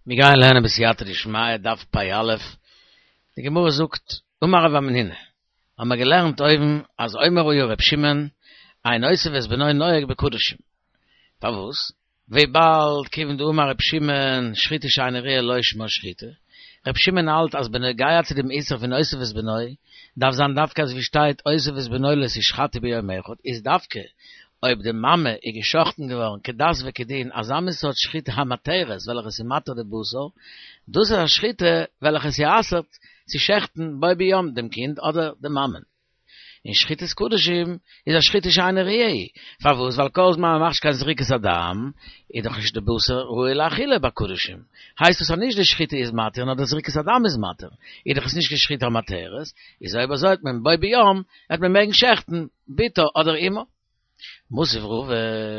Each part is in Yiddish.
מיר גייען לערנען בסייעתא דשמיא דף פ"א, די גמרא זאגט, אמר רב המנונא, האבן מיר געלערנט אויבן אז אומר היה ר' שמעון, אין אותו ואת בנו נוהג בקדשים. פארוואס? וויבאלד כיוון דאמר ר' שמעון שחיטה שאינה ראויה לא שמה שחיטה, ר' שמעון האלט אז בנוגע צו דעם איסור פון אותו ואת בנו, דארף זיין דווקא אזוי ווי שטייט אותו ואת בנו לא תשחטו ביום אחד, איז דווקא אויב די מאמע איז גע'שחט'ן געווארן כדת וכדין אזא מין סארט שחיטה המתרת וועלכע איז מתיר די בשר, דאס איז א שחיטה וועלכע ס'אסר'ט צו שעכטן בו ביום דעם קינד אדער די מאמען. און שחיטת קדשים איז א שחיטה שאינה ראויה, פארוואס? ווייל כל זמן מ'מאכט נישט קיין זריקת הדם איז דאך נישט די בשר ראוי לאכילה ביי קדשים, הייסט עס אז נישט די שחיטה איז מתיר נאר די זריקת הדם איז מתיר, איז דאך עס נישט קיין שחיטה המתרת, איז אויב אזוי האט מען בו ביום וועט מען מעגן שעכטן בתו אדער אמו. מתיב רבא,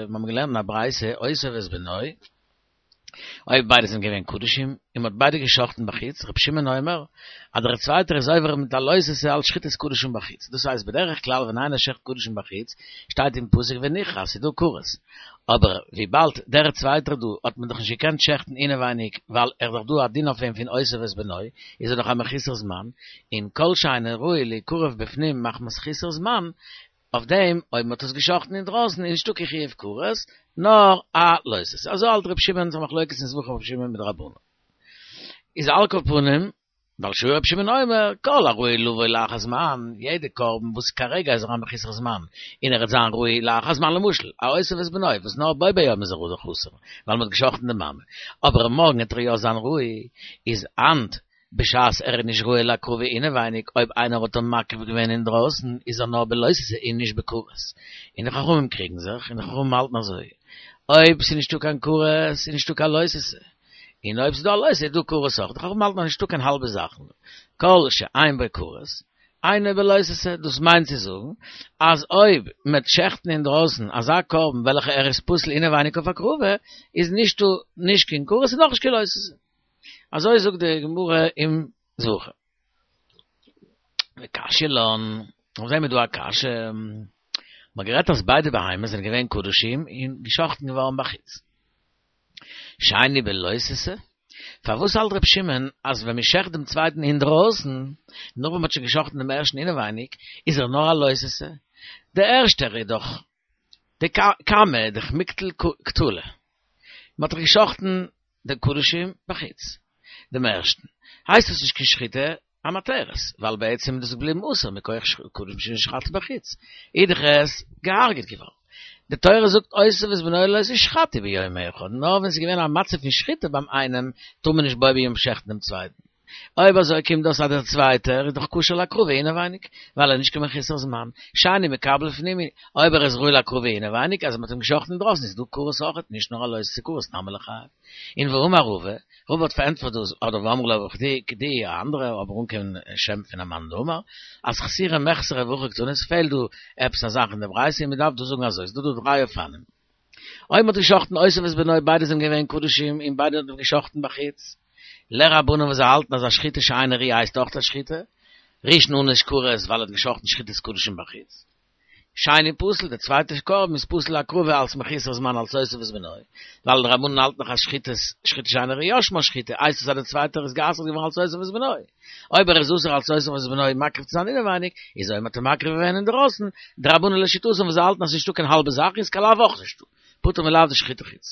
מיר האבן געלערנט אין א ברייתא אותו ואת בנו, אויב ביידע זענען געווען קדשים, און מ'האט ביידע געשחט'ן בחוץ, רבי שמעון אומר, אז דער צווייטער איז עובר מיט א לא תעשה אלץ שחיטת קדשים בחוץ. דאס הייסט בדרך כלל ווען איינער שעכט קדשים בחוץ, שטייט אין פסוק ונכרת, ס'איז דא כרת. אבער וויבאלד דער צווייטער דא האט מען דאך נישט געקענט שעכטן אינעווייניג ווייל ער איז דאך דא א דין אויף אים פון אותו ואת בנו, איז ער דאך א מחוסר זמן, און כל שאינו ראוי להיקרב בפנים מחמת חוסר זמן, אויף דעם אויב מ'האט עס געשחט'ן אינדרויסן איז נישטא קיין חיוב כרת, נאר א לא תעשה. אזוי האלט ר' שמעון, ס'איז א מחלוקת אין זבחים ר' שמעון מיט די רבנן. איז על כל פנים, ווייל שהיה ר' שמעון אומר, כל הראוי לבוא לאחר זמן, יעדע קרבן וואס כרגע איז ער א מחוסר זמן, און ער וועט זיין ראוי לאחר זמן, למשל, א אותו ואת בנו, וואס נאר בו ביום איז ער דאך אסור, ווייל מ'האט געשחט'ן די מאמע, אבער מארגן וועט ער יא זיין ראוי, איז היינט בשעת ער איז נישט ראוי להקרבה אינעווייניג, אויב איינער האט אים מקריב געווען אינדרויסן, איז ער נאר בלא תעשה און נישט בכרת. און די חכמים קריגן זיך, און די חכמים האלטן אזוי, אויב ס'איז נישטא קיין כרת, איז נישטא קיין לא תעשה. און אויב ס'איז דא א לא תעשה איז דא כרת אויך. די חכמים האלטן אז נישטא קיין האלבע זאכן. כל שאין בו כרת, אינו בלא תעשה. דאס מיינט צו זאגן, אז אויב מ'עט שעכטן אינדרויסן אזא קרבן וועלכע ער איז פסול אינעווייניג אויף הקרבה, איז נישטא נישט קיין כרת און נאך נישט קיין לא תעשה. אזוי זאגט די גמרא אין זבחים. וקשיא לן, אויף דעם איז דא א קשיא, מ'האט גערעדט אז ביידע בהמות זענען געווען קדשים און גע'שחט'ן געווארן בחוץ. שני בלא תעשה? פארוואס האלט ר' שמעון אז ווען מ'שעכט דעם צווייטן אינדרויסן, נאך ווען מ'האט שוין גע'שחט'ן דעם ערשטן אינעווייניג, איז ער נאר א לא תעשה? דער ערשטער איז דאך די קמא דאך מיקטל קטלא. מ'האט דאך גע'שחט'ן די קדשים בחוץ. דעם ערשטן הייסט עס נישט קיין שחיטה המתרת, ווייל בעצם איז דאס געבליבן אסור מכח קדשים שנשחטו בחוץ, איז דאך עס געהארגעט געווארן. די תורה זאגט אותו ואת בנו לא תשחטו ביום אחד, נאר ווען ס'איז געווען א מצב פון שחיטה ביים איינעם טאר מען נישט בו ביום שעכטן דעם צווייטן. אויב אזוי קומט דאס אז דער צווייטער איז דאך כשר להקרבה אינעווייניג, ווייל ער איז נישט קיין מחוסר זמן, שאני מקבל לפנים, אויב ער איז ראוי להקרבה אינעווייניג, אז מען האט אים געשחט'ן אינדרויסן איז דא כרת אויכעט, נישט נאר א לא תעשה כרת נמי ליחייב. און והאמר רבא, רבא האט פארענטפערט דאס, אדער ואמרי לה כדי כדי א אנדערע אבער אן קיין שם פון א מאן דאמר, אז חסורי מחסרא והכי קתני, עס פעלט דא עפעס א זאך אין די ברייתא און מען דארף דא זאגן אזוי, ס'איז דא דא דריי אופנים. אויב מען האט געשחט'ן אותו ואת בנו ביידע זענען געווען קדשים און ביידע האט מען געשחט'ן בחוץ, לרבנן וואס זיי האלטן אז א שחיטה שאינה ראויה הייסט אויך א שחיטה, ראשון ענוש כרת ווייל ער האט געשחט'ן שחיטת קדשים בחוץ. שני פסול, דער צווייטער קרבן איז פסול להקרבה אלס מחוסר זמן אלס אותו ואת בנו, ווייל די רבנן האלטן דאך אז שחיטת שחיטה שאינה ראויה שמה שחיטה, הייסט עס אז דער צווייטער איז גע'אסר'ט געווארן אלס אותו ואת בנו. אויב ער איז אסור אלס אותו ואת בנו מקריב צו זיין אינעווייניג, איז אויב מ'האט אים מקריב געווען אינדערויסן, די רבנן לשיטתם וואס זיי האלטן אז ס'נישטא קיין האלבע זאך איז קיין לאו אויך נישטא, פטור מלאו דשחיטה חוץ.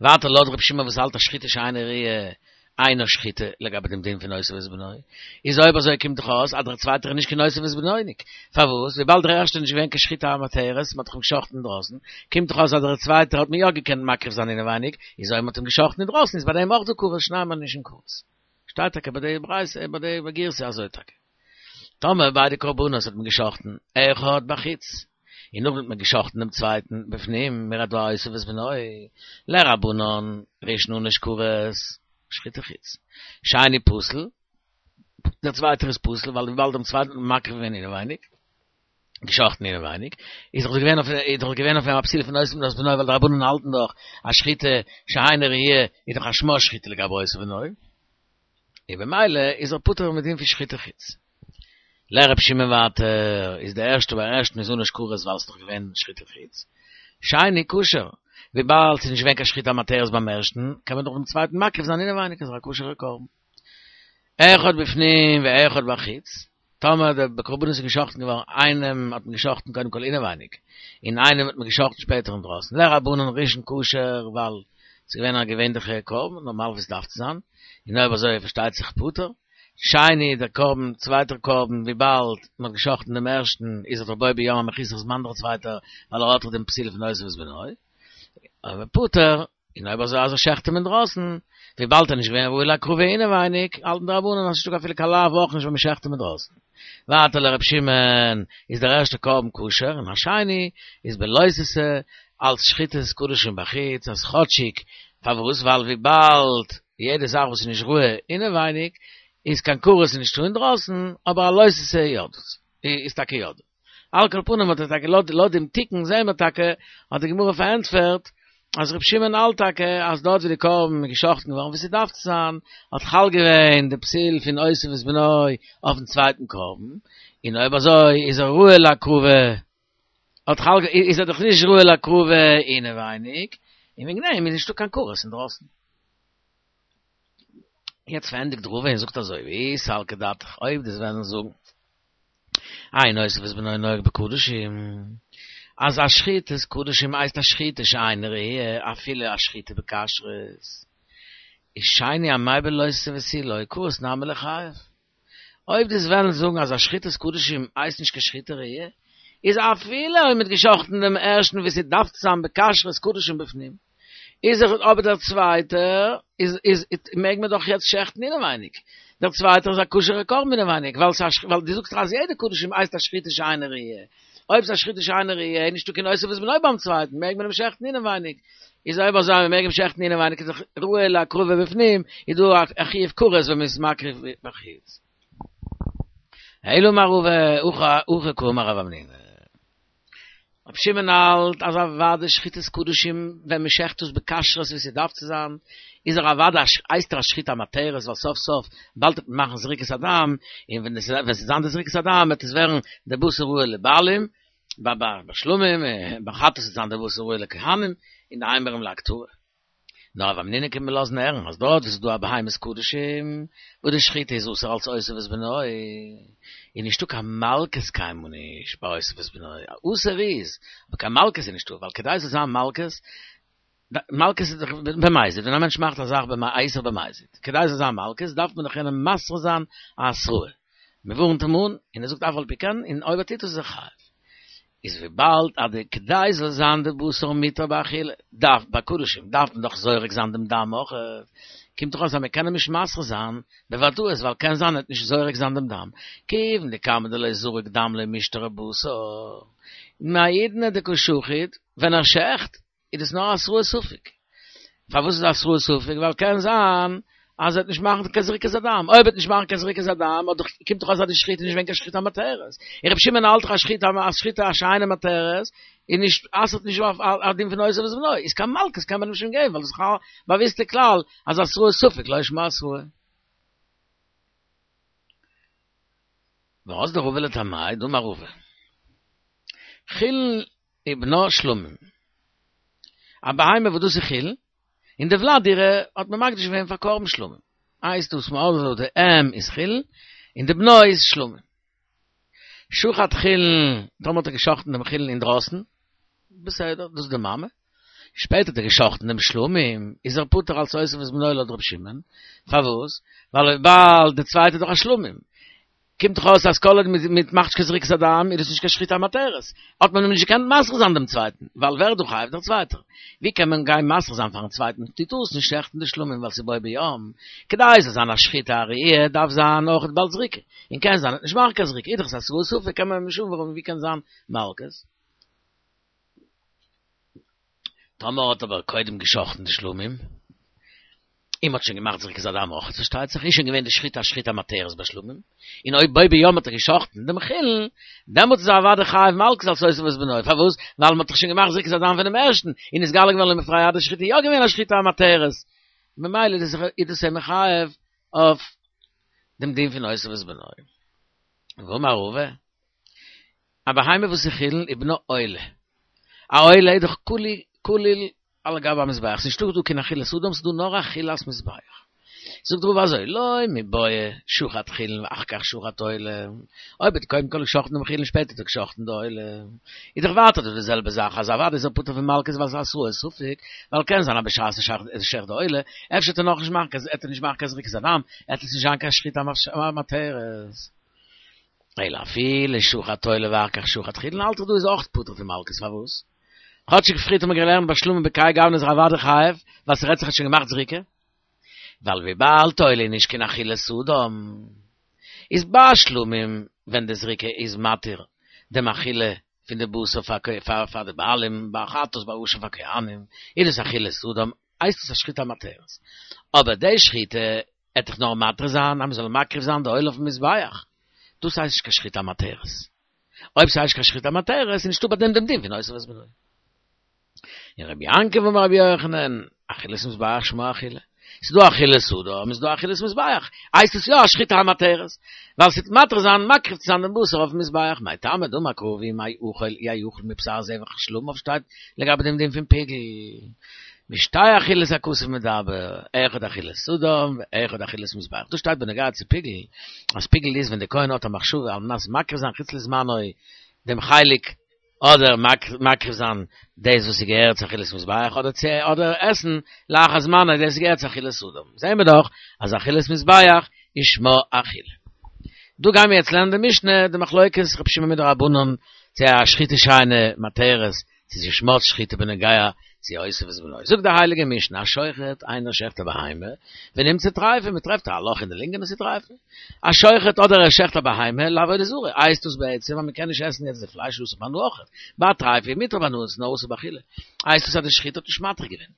ווייטער לויט רבי שמעון וואס האלט אז שחיטה שאינה ראויה אינה שחיטה לגבי דעם דין פון אותו ואת בנו, איז אויב אזוי קומט דאך אויס אז דער צווייטער איז נישט קיין אותו ואת בנו'ניק, פארוואס? וויבאלד דער ערשטער איז נישט געווען קיין שחיטה המתרת, מ'האט דאך אים געשחט'ן אינדרויסן, קומט דאך אויס אז דער צווייטער האט מען יא געקענט מקריב זיין אינעווייניג, איז אויב מ'האט אים געשחט'ן אינדרויסן איז ביי דעם אויך דא כרת, שנים מענישין כרת. שטייט טאקע ביי די ברייתא ביי די גירסא אזוי טאקע. טאמער ביידע קרבנות האט מען געשחט'ן אחד בחוץ, און נאכדעם האט מען געשחט'ן דעם צווייטן בפנים, מ'רעדט דא אותו ואת בנו, לרבנן, ראשון ענוש כרת, שחיטה חוץ. שני פסול, דער צווייטער איז פסול, ווייל וויבאלד דעם צווייטן האט מען מקריב געווען אינעווייניג, געשחט'ן אינעווייניג, איז דאך געווען אויף איז דאך געווען אויף אים א פסילה פון אותו ואת בנו, ווייל די רבנן האלטן דאך אז שחיטה שאינה ראויה איז דאך א שמה שחיטה לגבי אותו ואת בנו. און במילא איז ער פטור מדין פון שחיטה חוץ. לר' שמעון ווייטער איז די ערשטע ביים ערשטן איז ענוש כרת ווייל ס'איז דאך געווען שחיטה חוץ. שני כשר. וויבאלד ס'איז נישט געווען קיין שחיטה המתרת ביים ערשטן, קען מען דאך דעם צווייטן מקריב זיין אינעווייניג, איז ער א כשר'ער קרבן. אחד בפנים ואחד בחוץ, טאמער די קרבנות איז געשאכטן געווארן, איינעם האט מען געשאכטן קודם כל אינעווייניג, און איינעם האט מען געשאכטן שפעטער אינדרויסן, לרבנן ראשון כשר ווייל ס'איז געווען א געווענליכע קרבן, נארמאל ווי ס'דארף צו זיין, און אויב אזוי פארשטייט זיך פטור. שני דער קרבן, צווייטער קרבן, וויבאלד מ'האט געשאכטן דעם ערשטן, איז ער דאך בו ביום א מחוסר זמן דער צווייטער, ווייל ער האט דאך דעם פסול פון אותו ואת בנו. אבער פטור, און אויב אזוי אז ער שעכט אים אינדרויסן, וויבאלד ער איז נישט געווען ראוי להקרבה אינעווייניג, האלטן די רבנן אז ס'נישטא אפילו קיין לאו אויך נישט ווען מ'שעכט אים אינדרויסן. ווייטער לר' שמעון איז דער ערשטער קרבן כשר, און השני איז בלא תעשה אלץ שחיטת קדשים בחוץ, אז כאטשיג, פארוואס? ווייל וויבאלד יעדע זאך וואס איז נישט ראוי אינעווייניג, איז קיין כרת נישטא אינדרויסן, אבער א לא תעשה יא דאס איז טאקע יא דא. על כל פנים האט ער טאקע לויט לויט דעם תיקון זעהן מיר טאקע האט די גמרא פארענטפערט אז ר' שמעון האלט טאקע אז דארט ווי די קרבן איז געשאכטן געווארן ווי ס'דארף צו זיין האט חל געווען די פסול פון אותו ואת בנו אויפן צווייטן קרבן און אויב אזוי איז ער ראוי להקרבה האט חל איז ער דאך נישט ראוי להקרבה אינעווייניג און וועגן דעם איז נישטא קיין כרת אינדרויסן. יעצט פארענדיגט רבא און זאגט אזוי ואי סלקא דעתך אויב דו'סט וועלן זאגן אין אותו ואת בנו נוהג בקדשים, אז א שחיטת קדשים הייסט א שחיטה שאינה ראויה אפילו א שחיטה בכשרות, איז שני אמאי בלא תעשה ותו לא כרת נמי ליחייב. אויב דו'סט וועלן זאגן אז א שחיטת קדשים הייסט נישט קיין שחיטה ראויה, איז אפילו אויב מ'האט געשחט'ן דעם ערשטן ווי ס'דארף צו זיין בכשרות קדשים בפנים, איז ער אבער דער צווייטער איז איז מעג מען דאך יעצט שעכטן אינעווייניג, דער צווייטער איז א כשר'ע קרבן אינעווייניג, ווייל ס'א ווייל דו זאגסט דאך אז יעדע קדשים הייסט א שחיטה שאינה ראויה, אויב ס'איז א שחיטה שאינה ראויה איז נישטא קיין אותו ואת בנו ביים צווייטן, מעג מען אים שעכטן אינעווייניג, איז אויב אזוי אז מ'מעג אים שעכטן אינעווייניג איז דאך ראוי להקרבה בפנים, איז דא א חיוב כרת ווען מ'איז מקריב בחוץ. אלא אמר רבא, הכי קאמר רב המנונא. רבי שמעון האלט אז אוודאי שחיטת קדשים ווען מען שעכט עס בכשרות ווי ס'דארף צו זיין, איז ער אוודאי הייסט ער א שחיטה המתרת ווייל סוף סוף באלד וועט מען מאכן זריקת הדם, און ווען עס וועט זיין די זריקת הדם וועט עס ווערן די בשר ראוי לבעלים, ביי שלמים, ביי חטאת וועט זיין די בשר ראוי לכהנים, און די אימורים להקטרה. נאר רב המנונא קומט מיר לאזן הערן אז דארט וואו ס'איז דא א בהמת קדשים וואס די שחיטה איז אסור אלס אותו ואת בנו, איז נישטא קיין מלקות קיינמאל נישט ביי אותו ואת בנו, אסור איז, אבער קיין מלקות איז נישטא, ווייל כדי ס'זאל זיין מלקות, מלקות איז דאך במזיד, ווען א מענטש מאכט א זאך איסור במזיד, כדי ס'זאל זיין מלקות דארף מען דאך יענעם מתרה זיין א התראה, מ'ווארנט אים אן, און ער זאגט אף על פי כן, און אויב ער טוט עס איז ער חייב. איז וויבאלד אז די כדי זאל זיין די בשר מותר באכילה דארף ביי קדשים דארף מען דאך זורק זיין דעם דם אויך, קומט דאך אויס אז מען קען אים נישט מתרה זיין בוודאות ווייל קען זיין ער וועט נישט זורק זיין דעם דם, כיוון דכמה דלא זריק דם לא מישתרי בשר, מהאידנא דקא שחיט ווען ער שעכט איז דאס נאר התראת ספק. פארוואס איז התראת ספק? ווייל קען זיין אז ער וועט נישט מאכן קיין זריקת הדם. אויב ער וועט נישט מאכן קיין זריקת הדם, האט דאך, קומט דאך אויס אז די שחיטה איז נישט געווען קיין שחיטה המתרת. און רבי שמעון האלט דאך אז שחיטה א שחיטה שאינה מתרת איז נישט, אסר'ט נישט אויף א דין פון אותו ואת בנו. איז קיין מלקות קען מען אים נישט געבן, ווייל דאס איז א באוויסטע כלל אז התראת ספק לא שמה התראה. ואזדא רבא לטעמיה דאמר רבא. חולין ובנה שלמים. א בהמה וואס דאס איז חולין, און די ולד אירע האט מען מקדיש געווען פאר קרבן שלמים. הייסט דאס מ'האט די אם איז חולין, און די בנו איז שלמים. שחט חולין, טאמער האט ער געשחט'ן דעם חולין אינדרויסן, בסדר, דאס איז די מאמע. שפעטער האט ער געשחט'ן דעם שלמים, איז ער פטור אלס אותו ואת בנו לויט ר' שמעון. פארוואס? ווייל וויבאלד די צווייטע איז דאך א שלמים. קומט דאך אויס אז כל עוד מ'מאכט נישט קיין זריקת הדם איז דאס נישט קיין שחיטה המתרת, האט מען אים נישט געקענט מתרה זיין דעם צווייטן, ווייל ווער איז דא חייב? דער צווייטער. ווי קען מען גיין מתרה זיין פארן צווייטן דו טארסט נישט שעכטן די שלמים ווייל ס'איז בו ביום, כדי ס'זאל זיין א שחיטה הראויה דארף זיין אויך בעל זריקה, און קען זיין ער וועט נישט מאכן קיין זריקה, איז דאך עס התראת ספק קען מען אים נישט אנווארענען ווי קען זיין מלקות? טאמער האט אבער קודם געשחט'ן די שלמים, און מ'האט שוין געמאכט זריקת הדם אויך, פארשטייט זיך, איז שוין געווען די שחיטה א שחיטה המתרת ביי שלמים, און אויב בו ביום האט ער געשחט'ן דעם חולין, דעמאלטס איז ער אוודאי חייב מלקות אלס אותו ואת בנו, פארוואס? ווייל מ'האט דאך שוין געמאכט זריקת הדם פונעם ערשטן, און נתגלה געווארן למפרע אז די שחיטה איז יא געווען א שחיטה המתרת, ממילא איז דאס אים מחייב אויף דעם דין פון אותו ואת בנו. ואמר רבא, א בהמה וואס איז חולין ובנה עולה. א עולה איז דאך כולי כליל. על גבי המזבח, ס'איז נישטא דא קיין אכילת אדם, ס'איז דא נאר אכילת מזבח. זאגט רבא אזוי, לא מיבעיא שחט חולין ואחר כך שחט עולה, אויב האט קודם כל געשחטן דעם חולין שפעטער האט ער געשחטן די עולה, איז דאך ווייטער דא די זעלבע זאך אז אוודאי איז ער פטור פון מלקות ווייל ס'איז התראת ספק, ווייל קען זיין אז בשעת ער שעכט די עולה, אפשר וועט ער נאכנישט מאכן קיין עט ער נישט מאכן קיין זריקת הדם, עט עס נישט זיין קיין שחיטה המתרת. אלא אפילו שחט עולה ואחר כך שחט חולין האלט איך דא איז אויך פטור פון מלקות פארוואס? כאטשיג פריערט האט מען געלערנט ביי שלמים בכהאי גוונא איז ער אוודאי חייב ווייל ס'רעדט זיך ער האט שוין געמאכט זריקה. ווייל וויבאלד עולה איז נישט קיין אכילת אדם, איז ביי שלמים ווען די זריקה איז מתיר דעם אכילה פון די בשר פאר פאר די בעלים, ביי חטאת ביי אשם פאר כהנים, איז דאס אכילת אדם, הייסט עס א שחיטה המתרת. אבער די שחיטה עט דאך נאר מתיר זיין אז מ'זאל מקריב זיין די עולה אויפן מזבח, דאס הייסט נישט קיין שחיטה המתרת. אויב ס'הייסט נישט קיין שחיטה המתרת איז נישטא ביי דעם דעם דין פון אותו ואת בנו. און רבי יעקב אמר רבי יוחנן, אכילת מזבח שמה אכילה. ס'איז דא אכילת אדם, איז דא אכילת מזבח. הייסט עס יא א שחיטה המתרת. ווייל ס'טוט מתיר זיין מקריב צו זיין דעם בשר אויפן מזבח. מאי טעמא דאמר קרא ואם האכל יאכל מבשר זבח שלמיו שטייט לגבי דעם דין פון פיגול. בשתי אכילות הכתוב מדבר, אחד אכילת אדם ואחד אכילת מזבח. דאס שטייט בנוגע צו פיגול, אז פיגול איז ווען דער כהן האט א מחשבה על מנת מקריב זיין חוץ לזמנו דעם חלק אדער מקריב זיין דאס וואס ס'געהערט צו אכילת מזבח אדער צו אדער עסן לאחר זמנו דאס וואס געהערט צו אכילת אדם. זעהן מיר דאך אז אכילת מזבח איז שמה אכילה. דא גיימיר יעצט לערנען די משנה, די מחלוקת רבי שמעון מיט די רבנן צו א שחיטה שאינה מתרת צו ס'איז שמה שחיטה בנוגע צו אותו ואת בנו. זאגט די הייליגע משנה, השוחט איינער שעכט א בהמה, ונמצא טריפה, מען טרעפט א לאך אין די לונגען און ס'איז טריפה. השוחט אדער ער שעכט א בהמה לעבודה זרה, הייסט דאס בעצם אז מען קען נישט עסן יעצט די פלייש אסור בהנאה אויכעט, ביי טריפה איז מותר בהנאה ס'איז נאר אסור באכילה, הייסט דאס אז די שחיטה האט נישט מתיר געווען.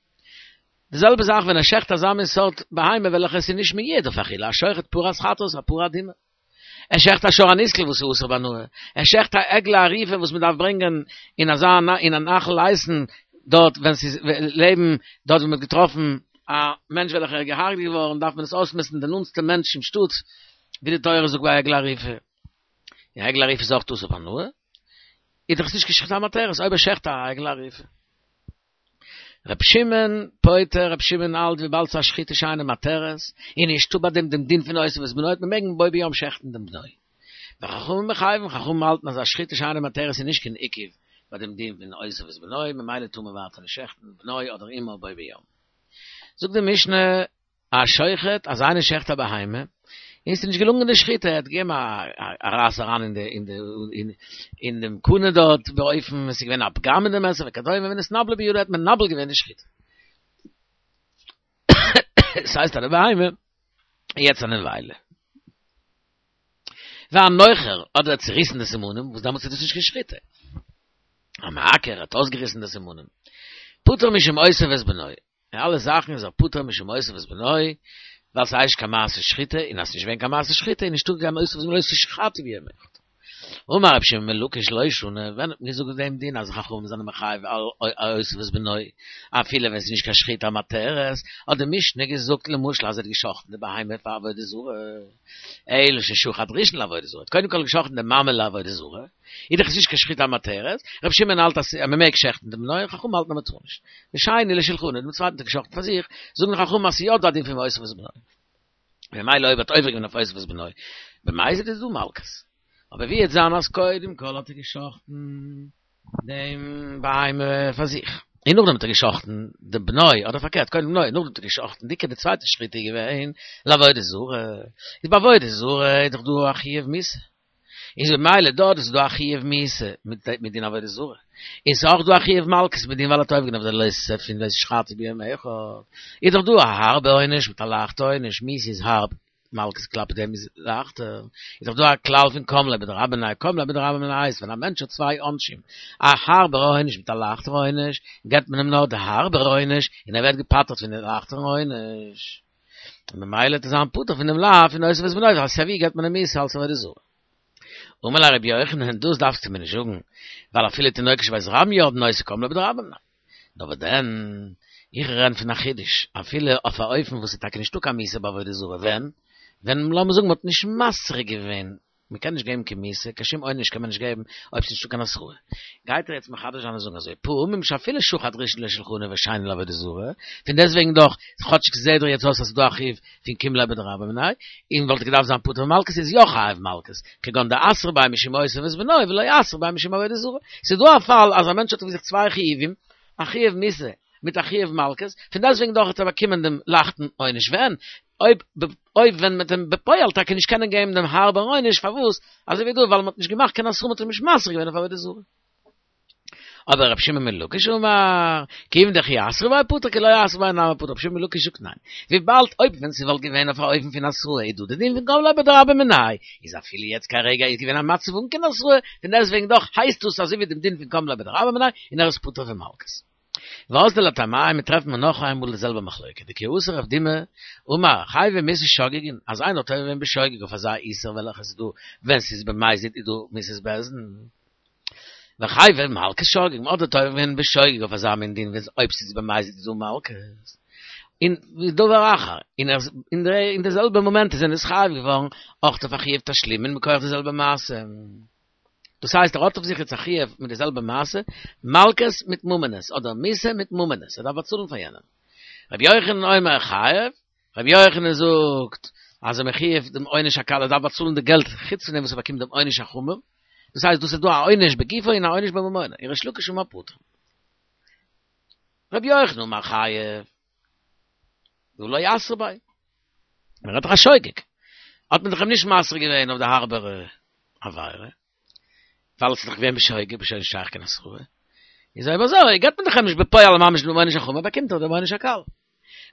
די זעלבע זאך ווען ער שעכט אזא מין סארט בהמה וועלכע עס איז נישט מיועד אויף אכילה, השוחט פרת חטאת, א פרה אדומה. ער שעכט א שור הנסקל וואס איז אסור בהנאה, ער שעכט א עגלה ערופה וואס מען דארף ברענגען אין אזא אין א נחל איתן דארט ווען ס'איז לעבן דארט ווי מען האט געטראפן א מענטש וועלכער איז געהארגעט געווארן דארף מען עס אויסמעסטן די נאנטסטע מענטש אין שטאט ווי די תורה זאגט ביי עגלה ערופה, און עגלה ערופה איז אויך אסור בהנאה, איז דאך עס נישט קיין שחיטה המתרת אויב ער שעכט א עגלה ערופה. ר' שמעון פוטר, ר' שמעון האלט וויבאלד ס'איז א שחיטה שאינה מתרת, און נישטא ביי דעם דעם דין פון אותו ואת בנו, מען מעג בו ביום שעכטן דעם בנו. וחכמים מחייבים, חכמים האלטן אז א שחיטה שאינה מתרת איז נישט קיין עיכוב ביי דעם דין פון אותו ואת בנו, ממילא טאר מען ווייטער נישט שעכטן בנו אדער אמו בו ביום. זאגט די משנה. השוחט, אז איינער שעכט א בהמה, און ס'איז נישט געלונגען די שחיטה, ער האט געגעבן א רייס אריין אין די אין די אין דעם קנה דארט, באופן עס איז געווען א פגם אין די מעסער וכדומה, ונתנבלה בידו האט מנבל געווען די שחיטה. ס'הייסט אז די בהמה איז יעצט א נבילה. והנוחר, אדער האט צוריסן די סימנים, וואס דעמאלטס איז דאס נישט קיין שחיטה. המעקר האט אויסגעריסן די סימנים. פטור משום אותו ואת בנו. אין אלע זאכן איז ער פטור משום אותו ואת בנו, ווייל ס'הייסט נישט קיין מעשה שחיטה, און אז ס'איז נישט געווען קיין מעשה שחיטה איז נישטא קיין אותו ואת בנו לא תשחטו ביום אחד. אמר רבי שמעון בן לקיש לא שנו, ווען האט מען געזאגט דעם דין אז חכמים זענען מחייב על אותו ואת בנו, אפילו ווען ס'איז נישט קיין שחיטה המתרת, האט די משנה געזאגט למשל אז ער האט געשחט'ן די בהמה פאר עבודה זרה, אלא ששחט ראשון לעבודה זרה, האט קודם כל געשחט'ן די מאמע לעבודה זרה, איז דאך עס נישט קיין שחיטה המתרת, רבי שמעון האלט אז מען מעג שעכטן דעם בנו, חכמים האלטן אז מען טאר נישט. ושני לשולחנו, דעם צווייטן האט ער געשחט'ן פאר זיך, זאגן חכמים אז ס'איז יא דא א דין פון אותו ואת בנו. ממילא אויב האט עובר געווען אויף אותו ואת בנו, במזיד איז דא מלקות. אבער ווי וועט זיין אז קודם כל האט ער געשחט'ן דעם בהמה פאר זיך, און נאכדעם האט ער געשחט'ן דעם בנו, אדער פארקערט, קודם בנו, נאכדעם האט ער געשחט'ן, די די צווייטע שחיטה איז געווען לעבודה זרה, איז ביי עבודה זרה איז דאך דא א חיוב מיתה. איז במילא דארט איז דא א חיוב מיתה מיט דין עבודה זרה, און ס'איז אויך דא א חיוב מלקות מיט דין ווייל ער האט עובר געווען אויף די לא תעשה פון לא תשחטו ביום אחד, איז דאך דא א הארבע עונש מיט א לייכטע עונש, מיתה איז הארב, מלקות כלפי דעם איז לייכטער, איז דאך דא א כלל פון קם ליה בדרבה מיניה קם ליה בדרבה מיניה הייסט ווען א מענטש האט צוויי עונשים, א הארבער עונש מיט א לייכטער עונש, געבט מען אים נאר די הארבער עונש און ער ווערט געפטר'ט פון די לייכטערן עונש. און ממילא וועט ער זיין פטור פון דעם לאו פון אותו ואת בנו, ווייל סייווי געבט מען אים מיתה אלס עבודה זרה. אמר ליה רבי יוחנן, דאס דארפסטו מיר נישט זאגן, ווייל אפילו תינוקות של בית רבן יודעין אותו קם ליה בדרבה מיניה. נאר וואס דען, איך רעד פון א חידוש, אפילו אויף א אופן וואס איז טאקע נישטא קיין מיתה בעבודה זרה, ווען? ווען לאמיר זאגן מען האט נישט מסריק געווען. מען קען נישט געבן קיין מיתה, קיין שום עונש קען מען נישט געבן אויב ס'איז נישטא קיין התראה. גייט ער יעצט מחדש זיין און זאגן אזוי, פעמים שאפילו שחט ראשון לשולחנו ושני לעבודה זרה, פון דעסטוועגן דאך, כאטשיג ס'זעהט דאך יעצט אויס אז ס'איז דא א חיוב פון קים ליה בדרבה מיניה, און וואלט געדארפט זיין פטור ממלקות איז יא חייב מלקות, כגון דאתרו ביה משום אותו ואת בנו ולא אתרו ביה משום עבודה זרה. ס'איז דא א פאל אז א מענטש האט אויף זיך צוויי חיובים, א חיוב מיתה מיט א חיוב מלקות, פון דעסטוועגן דאך האט ער באקומען דעם לייכטן עונש ווען אויב אויב ווען מ'וועט אים בפועל טאקע נישט קענען געבן דעם הארבערן עונש, פארוואס? אזוי ווי דא, ווייל מ'האט נישט געמאכט קיין התראה מ'האט אים נישט מתרה געווען אויף עבודה זרה. אבער רבי שמעון בן לקיש אמר, כיוון דכי אתרו ביה פטור כי לא אתרו ביה נמי פטור, רבי שמעון בן לקיש זאגט ניין, וויבאלד אויב ווען ס'וואלט געווען אויף א אופן פון התראה איז דא די דין פון קם ליה בדרבה מיניה, איז אפילו יעצט כרגע איז געווען א מצב אן קיין התראה, פון דעסטוועגן דאך הייסט דאס אזוי ווי דעם דין פון קם ליה בדרבה מיניה און ער איז פטור פון מלקות. ואזדו לטעמייהו מיר טרעפן מיר נאך איינמאל די זעלבע מחלוקה, דכי אתא רב דימי אמר חייבי מיתה שוגגין, אז איינער האט עובר געווען בשוגג אויף אזא איסור וועלכע ס'איז דא ווען ס'איז במזיד איז דא מיתת בית דין, וחייבי מלקות שוגגין, אדער האט עובר געווען בשוגג אויף אזא מין דין ווען אויב ס'איז במזיד איז דא מלקות. און דבר אחר, און ער אין די זעלבע מאמענט איז ער נתחייב געווארן אויך אויף א חיוב תשלומין מכח די זעלבע מעשה. דאס הייסט ער האט אויף זיך יעצט א חיוב מיט די זעלבע מעשה, מלקות מיט ממונות, אדער מיתה מיט ממונות, ער דארף באצאלן פאר יענעם. רבי יוחנן אומר חייב, רבי יוחנן זאגט אז ער מחויב דעם עונש הקל, ער דארף באצאלן די געלט חוץ פון דעם וואס ער באקומט דעם עונש החמור, דאס הייסט דאס איז דא א עונש בגופו און א עונש בממונו, און ריש לקיש אמר פטור. רבי יוחנן אמר חייב. דהא לא אתרו ביה. מען רעדט דאך א שוגג. האט מען דאך אים נישט מתרה געווען אויף די הארבערע עבירה. ווייל עס איז דאך געווען בשוגג, בשוגג נישט שייך קיין התראה. איז אויב אזוי געבט מען דאך אים נישט בפועל ממש דעם עונש החמור, באקומט ער דעם עונש הקל.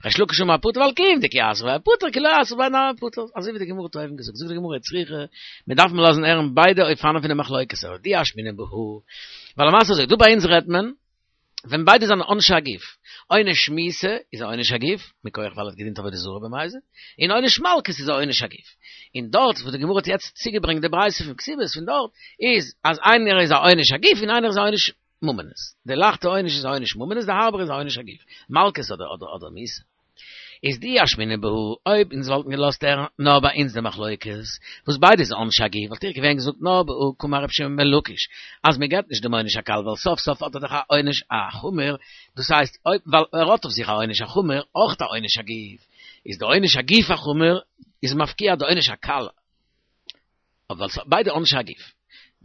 ריש לקיש אמר פטור ווייל כיון דכי אתרו ביה פטור כי לא אתרו ביה נמי פטור. אזוי ווי די גמרא האט אויבן געזאגט. זאגט די גמרא צריכא, מען דארף מען לאזן הערן ביידע אופנים פון די מחלוקת, אבער דאי אשמעינן בהא. ווייל למעשה אזוי, דא ביי אונז רעדט מען, ווען ביידע זענען עונשי הגוף, עונש מיתה איז א עונש הגוף, מכח ווייל ער האט געדינט עבודה זרה במזיד, און עונש מלקות איז א עונש הגוף. און דארט וואס די גמרא האט יעצט צוגעברענגט די ברייתא פון כתובות פון דארט, איז אז איינער איז א עונש הגוף און איינער איז א עונש ממונות. די לייכטע עונש איז א עונש ממונות, די הארבערע איז א עונש הגוף, מלקות אדער אדער אדער מיתה. איז דאי אשמעינן בהא, אויב אונז וואלטן געלאזט הערן נאר ביי אונז די מחלוקת, וואס ביידע איז עונשי הגוף, וואלט איך געווען געזאגט נאר בהא קאמר רבי שמעון בן לקיש, אז מען געבט נישט דעם עונש הקל ווייל סוף סוף האט ער דאך א עונש החמור, דאס הייסט אויב ווייל ער האט אויף זיך א עונש החמור אויך א עונש הגוף, איז די עונש הגוף החמור איז מפקיע די עונש הקל, אבער ווייל ביידע עונשי הגוף,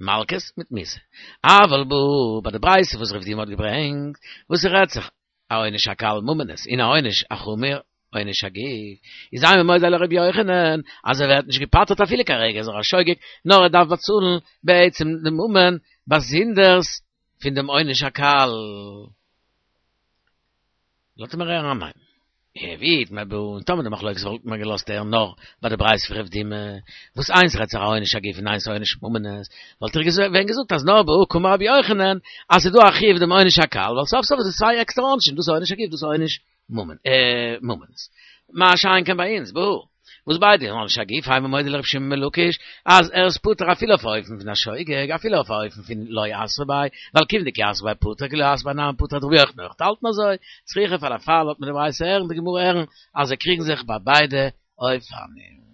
מלקות מיט מיתה. אבל בהא, ביי די ברייתא וואס רב דימי האט געברענגט, וואס ס'רעדט זיך א עונש הקל ממונות און א עונש החמור עונש הגוף, איז אימא מודה לר' יוחנן אז ער ווערט נישט געפטר'ט אפילו כרגע איז ער א שוגג נאר ער דארף באצאלן בעצם די ממון באזונדערס פון דעם עונש הקל. לאזט מיר הערן א ניין. ואי איתמר בהא און טאמער די מחלוקת וואלט מען געלאזט הערן נאר ביי די ברייתא פון רב דימי, וואס איינס רעדט זיך א עונש הגוף און איינס א עונש ממונות, וואלט איך געווען געזאגט אז נאר בהא קאמר רבי יוחנן אז ס'איז דא א חיוב דעם עונש הקל, ווייל סוף סוף איז עס צוויי עקסטערע עונשים, דאס איז עונש הגוף דאס איז עונש ממונות. מה שאין כן ביי אונז בהא. וואס ביידע עונשי הגוף אימא מודה לר' שמעון בן לקיש אז ער איז פטור אפילו אויף א אופן פון א שוגג אפילו אויף א אופן פון לא אתרו ביה ווייל כיון דכי אתרו ביה פטור כי לא אתרו ביה נמי פטור וועט רבי יוחנן אויך האלטן אזוי צריכא פאר א פאל לאזט מען די ברייתא הערן די גמרא הערן אז זיי קריגן זיך ביי ביידע אופנים.